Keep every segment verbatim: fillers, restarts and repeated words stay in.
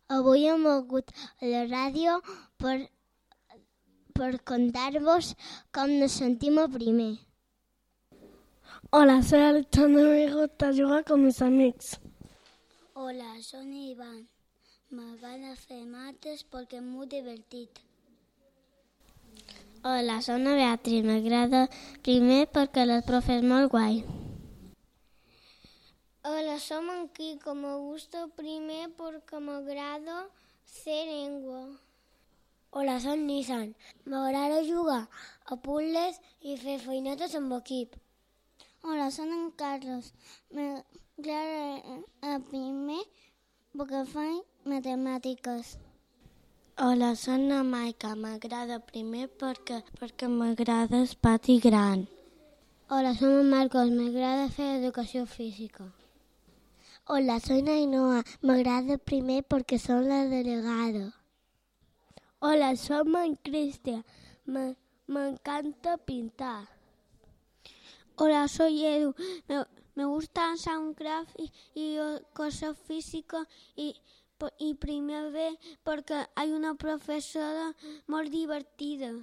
Avui hem volgut a la ràdio per, per contar-vos com ens sentim a primer. Hola, soy Alexandre, me gusta jugar con mis amigos. Hola, soy Iván. M'agrada fer mates perquè és molt divertit. Hola, soy Beatriz, m'agrada primer perquè la profe és molt guai. Hola, som en Quico, me gusta primer porque m'agrada fer llengua. Hola, soy Nissan, m'agrada jugar a puzzles i fer feinetes amb equip. Hola, soy en Carlos, m'agrada a primer perquè faig matemàtiques. Hola, soy la Maica, m'agrada primer perquè, perquè m'agrada el pati gran. Hola, soy Marcos, m'agrada fer educació física. Hola, soy Nainoa, m'agrada primer perquè soy la delegada. Hola, soy en Cristian, me, me encanta pintar. Hola, soy Edu, me, me gusta Soundcraft y, y cosas físicas y, y primer B porque hay una profesora muy divertida.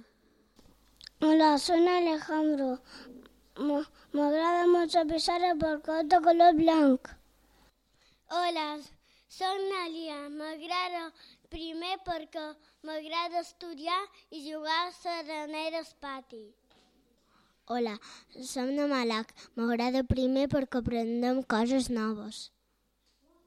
Hola, soy Alejandro, m'agrada mucho pizarra porque es de color blanco. Hola, soy Nalia, m'agrada primer perquè m'agrada estudiar i jugar a s'arenera al pati. Hola, som de Malac, m'agrada primer perquè aprendem coses noves.